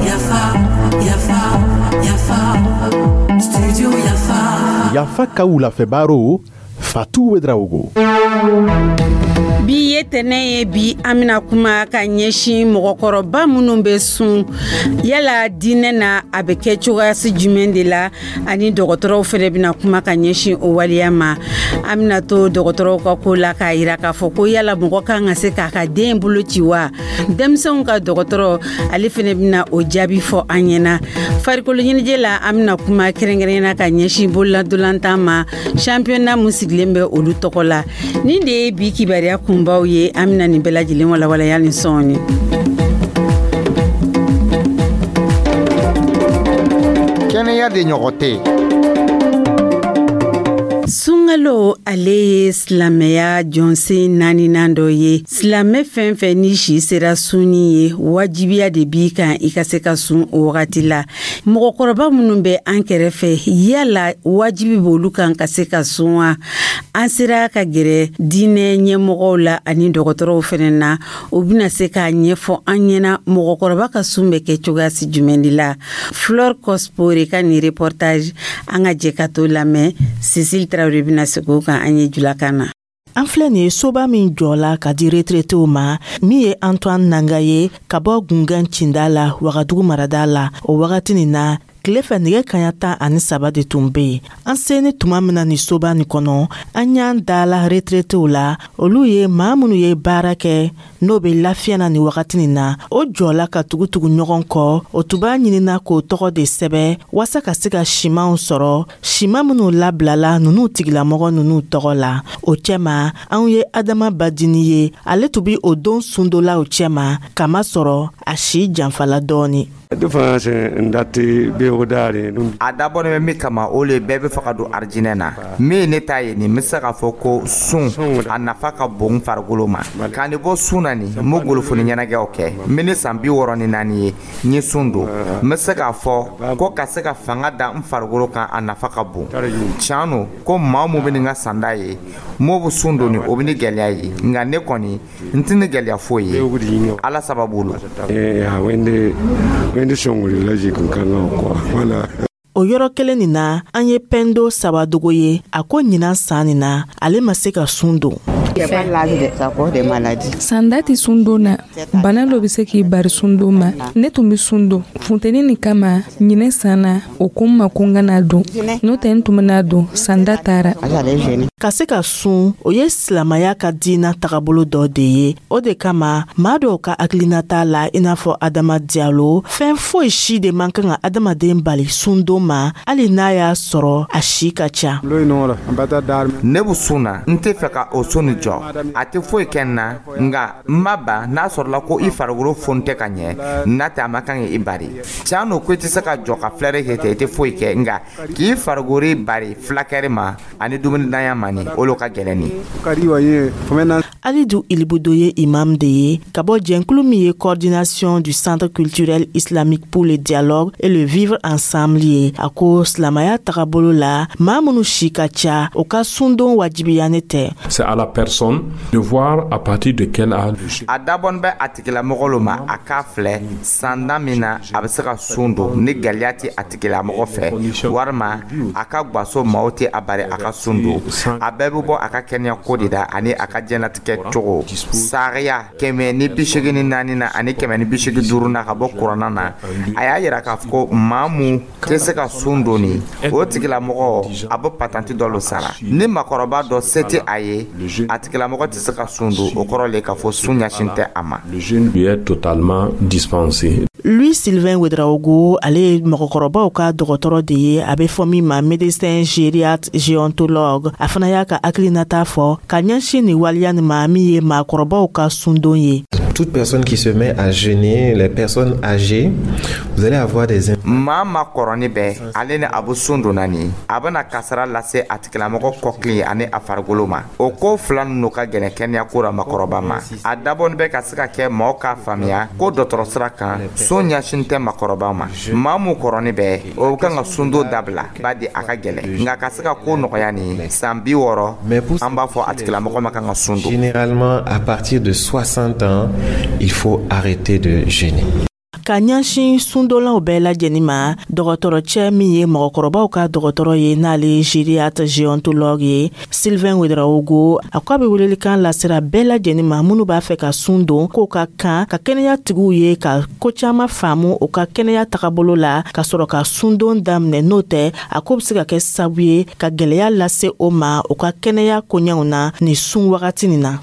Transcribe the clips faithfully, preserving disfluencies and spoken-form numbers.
Yafa, Yafa, Yafa, Studio Yafa. Yafa ka wulafɛ Fatou Ouedraogo. Bi ye tɛnɛ ye. Bi an bena kuma ka ɲɛsin mɔgɔkɔrɔba minnu bɛ sun. Yala diinɛ na, a bɛ kɛ cogoyasi jumɛn de la? Ani dɔgɔtɔrɔw fɛnɛ bena kuma ka ɲɛsin o waleya ma. An bena to dɔgɔtɔrɔw ka ko la k'a yira k'a fɔ ko yala mɔgɔ kan ka se k'a ka den bolo ci wa? Denmisɛnw ka dɔgɔtɔrɔ, ale fɛnɛ bena o jaabi fɔ an ɲɛna. Farikolo ɲɛnajɛ la, an bena kuma kɛrɛnkɛrɛnyana ka ɲɛsin bololadonlantan ma, championnat mun sigilen bɛ olu tɔgɔ la. Nin de ye bi kibaruya kunbaw ye. An bena nin bɛɛ lajɛlen walawalaya ni sɔɔni. Kɛnɛya de ɲɔgɔn tɛ. Sunkalo, ale ye silamɛya jɔnsen naaninan dɔ ye. Silamɛ fɛn fɛn ni si sera sunni ye, wajibiya de b'i kan i ka se ka sun o wagati la. Mɔgɔkɔrɔba minnu bɛ an kɛrɛfɛ, yala wajibi b'olu kan ka se ka sun wa? An sera ka gɛrɛ diinɛ ɲɛmɔgɔw la ani dɔgɔtɔrɔw fɛnɛ na. U bɛna se k'a ɲɛfɔ an ɲɛna, mɔgɔkɔrɔba ka sun bɛ kɛ cogoyasi jumɛn de la. Flore Cospore ka nin reportage, an ka jɛ ka to lamɛn. Cécile Traoré bɛna segin o kan an ye julakan na. An filɛ nin ye soba min jɔla ka di retraitéw ma, min ye Antoine Nanga ye ka bɔ Gungɛn cinda la, Wagadugu marada la. O wagati nin na, tile fɛ nɛgɛ kaɲa tan ani saba de tun be yen. An seni tuma min na nin soba nin kɔnɔ, an y'an dala retraitéw la. Olu ye maa minnu ye baara kɛ n'o be lafiya na nin wagati nin na. O jɔla ka tugutugu ɲɔgɔn kɔ. O tun b'a ɲinina k'o tɔgɔ de sɛbɛ waasa ka se ka simanw sɔrɔ, siman minw labilala nunu tigilamɔgɔ nunu tɔgɔ la. O cɛma, anw ye Adama Badini ye. Ale tun bi o don sundolaw cɛma, kamasɔrɔ a si janfala dɔɔni. A dabɔnen bɛ min kama, o le bɛɛ bɛ fɛ ka don arijinɛ na. Min ye ne ta ye nin, n bɛ se k'a fɔ ko sun, a nafa ka bon farikolo ma. Ka nin bɔ sun na nin, n bɛ golofoni ɲɛnajɛw kɛ. N bɛ ne san bi wɔɔrɔ ni naani ye, n ye sun don. N bɛ se k'a fɔ ko ka se ka fanga da n farikolo kan, a nafa ka bon. Tiɲɛ don ko maa mun bɛ nin ka sanda ye, m'o bɛ sun don nin, o bɛ ni gɛlɛya ye. Nka ne kɔni, n tɛ ni gɛlɛya foyi ye Ala sababu la. O yɔrɔ kelen nin na, an ye Pɛndo Sabadogo ye. A ko ɲinan san nin na, ale ma se ka sun don. Sanda tɛ sundon na. Bana dɔ bɛ se k'i bari sundon ma. Ne tun bɛ sun don funteni nin kama. Ɲinɛ san na, o ko n ma ko n kana don, n'o tɛ n tun bɛna don. Sanda taara. Ka se ka sun, o ye silamaya ka diina tagabolo dɔ de ye. O de kama, maa dɔw ka hakilinata la, i n'a fɔ Adama Diyalo, fɛn foyi si de man kan ka adamaden bali sundon ma, hali n'a y'a sɔrɔ a si ka ca. Ne bɛ sun na, n tɛ fɛ ka o sun nin jɔ. A tɛ foyi kɛ n na, nka n ma ban n'a sɔrɔla ko i farikolo foni tɛ ka ɲɛ n'a tɛ, a ma kan i bari. Tiɲɛ don ko i tɛ se ka jɔ ka filɛri kɛ ten, i tɛ foyi kɛ, nka k'i farikolo bari fulakɛri ma ani dumunidanya ma nin, olu ka gɛlɛn nin. Alidu Ilibudo ye imam de ye ka bɔ jɛnkulu min ye Coordination du Centre culturel islamique pour le dialogue et le vivre ensemble ye. A ko silamaya tagabolo la, maa minnu si ka ca, o ka sundon wajibiyanen tɛ. C'est à la personne de voir à partir de quel âge. A dabɔn bɛ a tigilamɔgɔ lo ma, a k'a filɛ sanda min na a bɛ se ka sun don, ni gɛlɛya tɛ a tigilamɔgɔ fɛ, walima a ka gaso maaw tɛ a bari a ka sun don. A bɛɛ bɛ bɔ a ka kɛnɛya ko de la ani a ka diɲɛlatigɛ cogo. Sariya kɛmɛ ni bi seegin ni naani na ani kɛmɛ ni bi seegin duuru na ka bɔ kuranna na, a y'a yira k'a fɔ ko maa mun tɛ se ka sun don nin, o tigilamɔgɔ a bɛ patanti dɔ lo sara. Ni makɔrɔba dɔ se tɛ a ye, a tigilamɔgɔ tɛ se ka sun don, o kɔrɔ le k'a fɔ sun ɲɛsin tɛ a ma. Le jeûne lui est totalement dispensé. Louis Sylvain Ouedraogo, ale ye mɔgɔkɔrɔbaw ka dɔgɔtɔrɔ de ye, a bɛ fɔ min ma médecin gériatre géontologue. A fana y'a ka hakilinata fɔ ka ɲɛsin nin waleya nin ma, min ye maakɔrɔbaw ka sundon ye. Toute personne qui se met à jeûner, les personnes âgées, vous allez avoir des Maa ma kɔrɔni bɛ ale ni a bɛ sun donna nin, a bɛna kasara lase a tigilamɔgɔ kɔkili ani a farikolo ma. O ko fila ninnu ka gɛlɛn kɛnɛyako la makɔrɔba ma. A dabɔni bɛ ka se ka kɛ maaw k'a faamuya ko dɔgɔtɔrɔ sira kan, sun ɲɛsin tɛ makɔrɔba ma. Maa mun kɔrɔni bɛ, o kan ka sundon dabila badi a ka gɛlɛn, nka ka se ka ko nɔgɔya nin, san bi wɔɔrɔ, an b'a fɔ a tigilamɔgɔ ma kan ka sun don. Généralement, à partir de soixante ans, il faut arrêter de jeûner. Ka ɲɛsin sundonlaw bɛɛ lajɛlen ma, dɔgɔtɔrɔcɛ min ye mɔgɔkɔrɔbaw ka dɔgɔtɔrɔ ye, n'ale ye gériatre gérontologue ye, Sylvain Ouédraogo, a ko a bɛ welelikan lasera bɛɛ lajɛlen ma minnu b'a fɛ ka sun don, k'o ka kan ka kɛnɛya tigiw ye ka ko caman faamu o ka kɛnɛya tagabolo la ka sɔrɔ ka sundon daminɛ. N'o tɛ, a ko bɛ se ka kɛ sababu ye ka gwɛlɛya lase o ma o ka kɛnɛya koɲɛw na nin sun wagati nin na.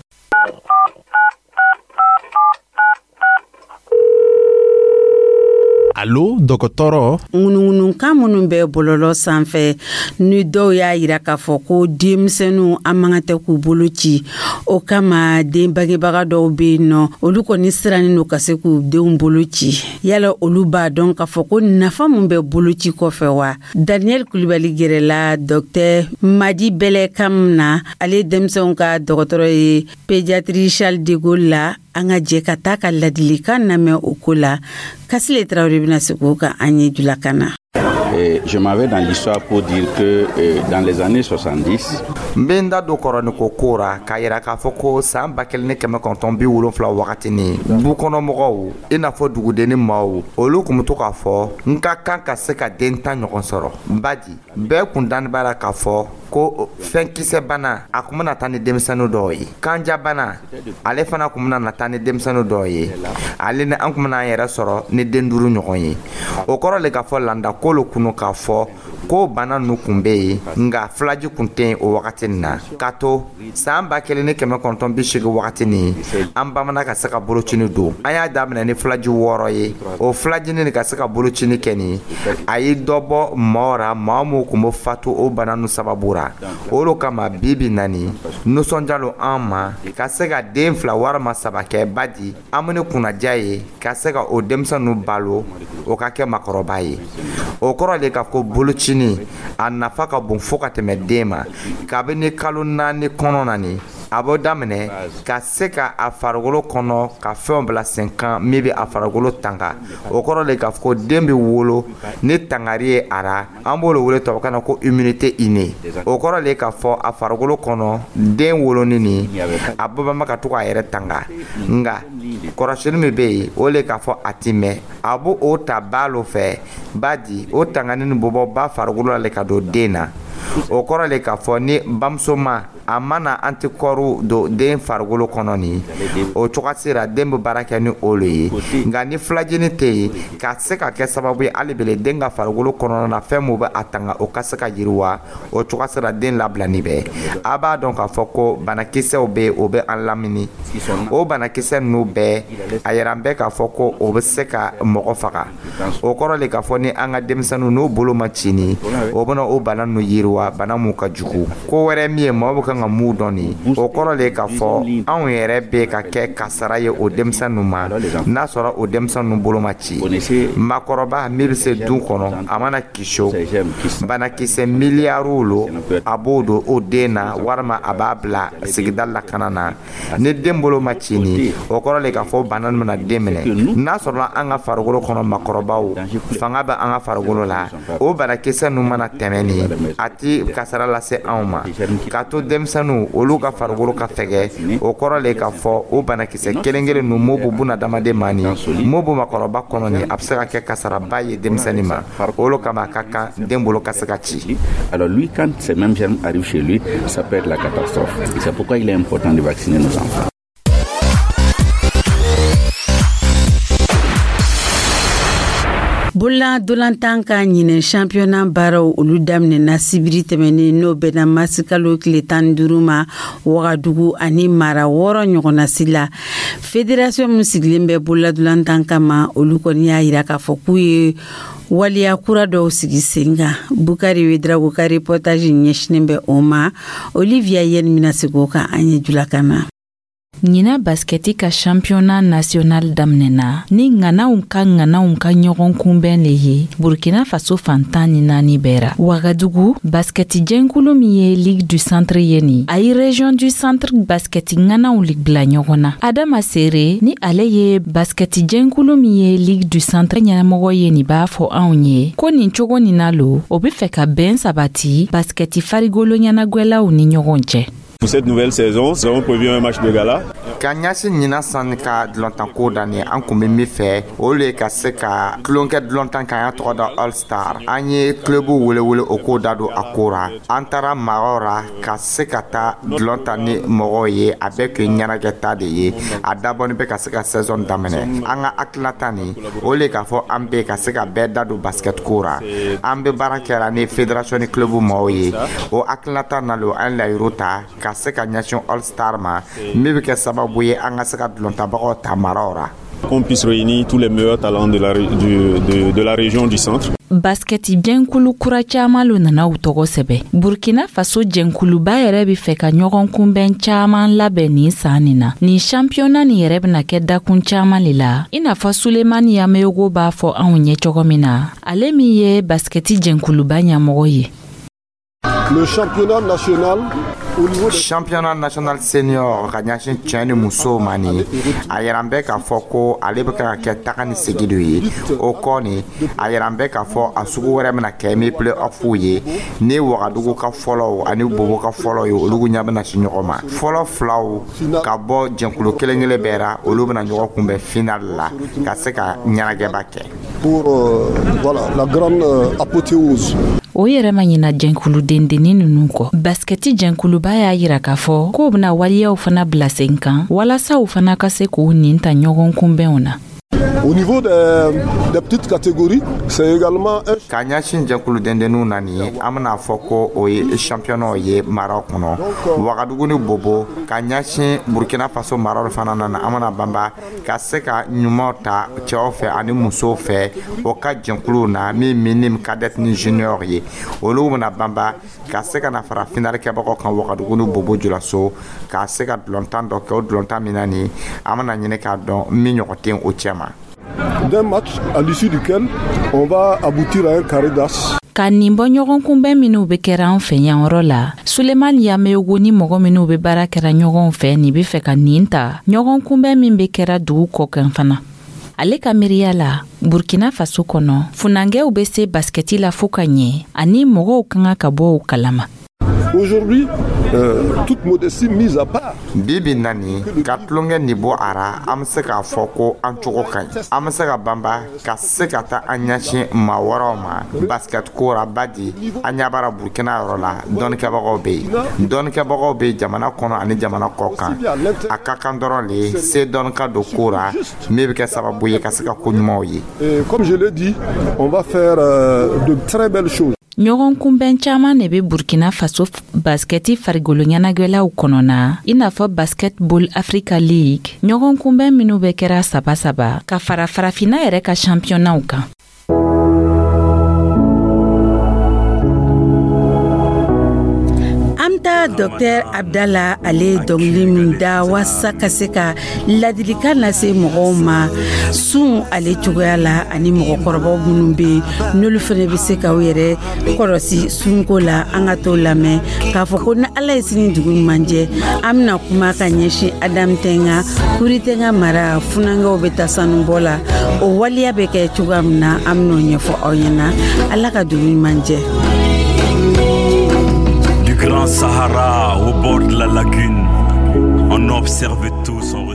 Alo, dɔgɔtɔrɔ. Ŋunuŋunukan minnu bɛ bɔlɔlɔ sanfɛ ni dɔw y'a yira k'a fɔ ko denmisɛnninw an man kan tɛ k'u bolo ci, o kama den bangebaga dɔw bɛ yen nɔ, olu kɔni sirannen don ka se k'u denw bolo ci. Yala olu b'a dɔn k'a fɔ ko nafa mun bɛ boloci kɔfɛ wa? Daniel Kulibali gɛrɛla docteur Madi Bɛlɛ kam na, ale denmisɛnw ka dɔgɔtɔrɔ ye pédiatrie Charles de Gaulle la. An ka jɛ ka taa ka ladilikan lamɛn o ko la. Kasile Tarawele bɛna segin o kan an ye julakan na. Et je m'en vais dans l'histoire pour dire que euh, dans les années soixante-dix, N bɛ n da don kɔrɔniko ko ra k'a yira k'a fɔ ko san ba kelen ni kɛmɛ kɔnɔntɔn bi wolonfila wagati ni du kɔnɔmɔgɔw, i n'a fɔ dugudenni maaw, olu kun bɛ to k'a fɔ n ka kan ka se ka den tan ɲɔgɔn sɔrɔ. Badi bɛɛ kun dani b'a la k'a fɔ ko fɛnkisɛ bana a kun bɛna taa ni denmisɛnnin dɔw ye, kanjabana ale fana kun bɛna taa ni denmisɛnnin dɔw ye, ale ni an kun bɛna an yɛrɛ sɔrɔ ni den duuru ɲɔgɔn ye. O kɔrɔ le k'a fɔ landa ko lo kunu k'a fɔ ko bana ninnu kun bɛ yen, nka filaji kun tɛ yen o wagati nin na. K'a to san ba kelen ni kɛmɛ kɔnɔntɔn bi seegin wagati nin, an bamanan ka se ka bolocini don. An y'a daminɛ ni filaji wɔɔrɔ ye. O filajini nin ka se ka bolocini kɛ nin, a ye dɔ bɔ maaw ra, maa minnu kun bɛ fatu o bana ninnu sababu ra. O de kama bi bi na nin, nisɔndiya lo an ma ka se ka den fila walima saba kɛ, badi an bɛ ni kunnaja ye ka se ka o denmisɛn ninnu balo, o ka kɛ maakɔrɔba ye. O kɔrɔ de k'a fɔ bolocini a nafa ka bon fo ka tɛmɛ den ma. Kabini kalo naani kɔnɔ na nin, a b'o daminɛ ka se ka a farikolo kɔnɔ ka fɛnw bila sen kan min bɛ a farikolo tanga. O kɔrɔ de k'a fɔ ko den bɛ wolo ni tangari ye a ra, an b'o de wele tubabukan na ko immunité innée. O kɔrɔ de k'a fɔ a farikolo kɔnɔ, den wolonin nin, a bɛɛ ma ka to k'a yɛrɛ tanga. Nka kɔrɔsili min bɛ yen, o de k'a fɔ a ti mɛn, a b'o o ta ba lo fɛ, badi o tangani nin bɛ bɔ ba farikolo la le ka don den na. O kɔrɔ de k'a fɔ ni bamuso ma a mana antikɔriw don den farikolo kɔnɔ nin, o cogoya sera den bɛ baara kɛ ni o le ye. Nka ni filajini tɛ yen ka se ka kɛ sababu ye hali bele den ka farikolo kɔnɔna na fɛn mun bɛ a tanga, o ka se ka yiriwa, o cogoya sera den labilani bɛ. A b'a dɔn k'a fɔ ko banakisɛw bɛ yen, o bɛ an lamini. O banakisɛ ninnu bɛɛ a yɛrɛ an bɛɛ k'a fɔ ko o bɛ se ka mɔgɔ faga. O kɔrɔ de k'a fɔ ni an ka denmisɛnninw n'u bolo ma ci nin, o bɛna o bana ninnu yiriwa, bana mun ka jugu. Ko wɛrɛ min ye maaw bɛ kan ka mun dɔn nin, o kɔrɔ de k'a fɔ anw yɛrɛ bɛ ka kɛ kasara ye o denmisɛn ninnu ma, n'a sɔrɔ o denmisɛn ninnu bolo ma ci. Maakɔrɔba min bɛ se du kɔnɔ, a mana kiso banakisɛ miliyariw lo, a b'o don o den na walima a b'a bila sigida lakana na. Ni den bolo ma ci nin, o kɔrɔ de k'a fɔ bana nin bɛna den minɛ. N'a sɔrɔla an ka farikolo kɔnɔ maakɔrɔbaw fanga bɛ an ka farikolo la, o banakisɛ ninnu mana tɛmɛ nin, a ti kasara lase anw ma. K'a to denmisɛnninw olu ka farikolo ka fɛgɛ, o kɔrɔ le k'a fɔ o banakisɛ kelen kelen ninnu m'o b'u bunadamaden ma nin, m'o b'u maakɔrɔba kɔnɔ nin, a bɛ se ka kɛ kasaraba ye denmisɛnnin ma. O de kama a ka kan den bolo ka se ka ci. Alors lui, quand ces mêmes germes arrivent chez lui, ça peut être la catastrophe. C'est pourquoi il est important de vacciner nos enfants. Bolola dolantan ka ɲinɛ championnat baaraw olu daminɛna sibiri tɛmɛnen, n'o bɛnna masikalo tile tan ni duuru ma, Wagadugu ani mara wɔɔrɔ ɲɔgɔnnasi la. Fédération min sigilen bɛ bolola dolantan kama, olu kɔni y'a yira k'a fɔ k'u ye waleya kura dɔw sigi sen kan. Bukari Wedrago ka reportage ɲɛsinen bɛ o ma. Olivia Yen bɛna segin o kan an ye julakan na. Ɲina baskɛti ka championnat national daminɛna ni ŋanaw ka ŋanaw ka ɲɔgɔn kunbɛn le ye Burkina Faso fan tan ni naani bɛɛ ra. Wagadugu baskɛti jɛnkulu min ye Ligue du Centre ye nin, a ye Région du Centre baskɛti ŋanaw bila ɲɔgɔn na. Adama Sere ni ale ye baskɛti jɛnkulu min ye Ligue du Centre ɲɛmɔgɔ ye nin, b'a fɔ anw ye ko nin cogo nin na lo, o be fɛ ka bɛn sabati baskɛti farigolo ɲɛnagwɛlaw ni ɲɔgɔn cɛ. Pour cette nouvelle saison, nous avons prévu un match de gala. Ka ɲɛsin ɲinan san ka dulɔntanko daminɛ, an kun bɛ min fɛ, o le ka se ka tulonkɛ dulɔntan kan y'a tɔgɔ da All Star. An ye club welewele o k'o da don a ko ra. An taara maraw ra ka se ka taa dulɔn ta ni mɔgɔw ye. A bɛɛ kun ye ɲɛnajɛta de ye. A dabɔni bɛ ka se ka saison daminɛ. An ka hakilinata nin, o le k'a fɔ an bɛ ka se ka bɛɛ da don basket ko ra. An bɛ baara kɛra ni fédération ni club maaw ye. O hakilinata na lo, an layiru ta ka se ka ɲɛsin All Star ma, min bɛ kɛ sababu ye an ka se ka dulɔntabagaw ta maraw ra. Qu'on puisse réunir tous les meilleurs talents de la, du, de, de la région du Centre. Baskɛti jɛnkulu kura caaman lo nana u tɔgɔ sɛbɛ. Burkina Faso jɛnkuluba yɛrɛ be fɛ ka ɲɔgɔn kunbɛn caaman labɛn nin saan nin na. Nin championnat nin yɛrɛ bena kɛ dakun caaman le la, i n'a fɔ Sulemani Yameyogo b'a fɔ anw ɲɛ cogo min na, ale min ye baskɛti jɛnkuluba ɲɛmɔgɔ ye. Le championnat national au niveau des Championnat national senior ka ɲɛsin cɛ ni musow ma nin, a yɛrɛ bɛ k'a fɔ ko ale bɛ ka kɛ taga ni segi de ye. O kɔ nin, a yɛrɛ bɛ k'a fɔ a sugu wɛrɛ bɛna kɛ min play off ye, ni Wagadugu ka fɔlɔw ani Bobo ka fɔlɔ ye, olu ɲɛ bɛna se ɲɔgɔn ma. Fɔlɔ filaw ka bɔ jɛnkulu kelen kelen bɛɛ ra, olu bɛna ɲɔgɔn kunbɛn final la ka se ka ɲɛnajɛba kɛ. Pour euh, voilà, la grande euh, apothéose. O yɛrɛ ma ɲina jɛnkulu dendennin ninnu kɔ. Baskɛti jɛnkuluba y'a yira k'a fɔ k'o bena waliyaw fana bila sen kan walasa u fana ka se k'u nin ta ɲɔgɔn kunbɛnw na. Au niveau des, des petites catégories, c'est également un Ka ɲɛsin jɛkulu dendenninw na nin ye, an bɛna fɔ ko o ye championnat ye maraw kɔnɔ, Wagadugu ni Bobo. Ka ɲɛsin Burkina Faso maraw fana na, an bɛna banba ka se ka ɲumanw ta cɛw fɛ ani musow fɛ o ka jɛnkuluw na, min minime, cadet ni junior ye. Olu bɛna banba ka se ka na fara finale kɛbagaw kan Wagadugu ni Bobo Julaso, ka se ka dulɔntan dɔ kɛ. O dulɔntan min na nin, an bɛna ɲini k'a dɔn min ɲɔgɔn tɛ o cɛ ma. D'un match à l'issue duquel on va aboutir à un carré d'as. Ka nin bɔ ɲɔgɔn kunbɛn minw be kɛra an fɛ yan yɔrɔ la, Sulemani Yameyogo ni mɔgɔ minw be baara kɛra ɲɔgɔn fɛ nin be fɛ ka nin ta ɲɔgɔn kunbɛn min be kɛra dugu kɔ kan fana. Ale ka miiriya la, Burkina Faso kɔnɔ, funankɛw be se baskɛti la fo ka ɲɛ, ani mɔgɔw ka kan ka bɔ u kalama. Aujourd'hui, euh, toute modestie mise à part, Bi bi na nin, ka tulonkɛ nin bɔ a ra, an bɛ se k'a fɔ ko an cogo ka ɲi. An bɛ se ka banba ka se ka taa an ɲɛsin maa wɛrɛw ma basket ko ra. Badi an ɲɛ b'ara Burukina yɔrɔ la, dɔnnikɛbagaw bɛ yen, dɔnnikɛbagaw bɛ yen jamana kɔnɔ ani jamana kɔ kan. A ka kan dɔrɔn le se dɔnni ka don ko ra, min bɛ kɛ sababu ye ka se ka ko ɲumanw ye. Et comme je l'ai dit, on va faire euh, de très belles choses. Ɲɔgɔn kunbɛn caaman de be Burkina Faso baskɛti farigolo ɲɛnagwɛlaw kɔnɔna, i n'a fɔ Basketball Africa League, ɲɔgɔn kunbɛn minw bɛ kɛra saba saba ka fara farafina yɛrɛ ka championnaw kan. An taa Dɔktɛr Abdala, ale ye dɔnkili min da waasa ka se ka ladilikan lase mɔgɔw ma sun ale cogoya la, ani mɔgɔkɔrɔbaw minnu bɛ yen n'olu fana bɛ se k'aw yɛrɛ kɔlɔsi sunko la, an ka t'o lamɛn k'a fɔ ko ni Ala ye sini dugu ɲuman jɛ, an bɛna kuma ka ɲɛsin Adamu Tɛnga Kuritenga mara funankɛw bɛ taa sanubɔ la, o waleya bɛ kɛ cogoya min na, an bɛn'o ɲɛfɔ aw ɲɛna. Ala ka dugu ɲuman jɛ. Du Grand Sahara au bord de la lagune, on observe tous en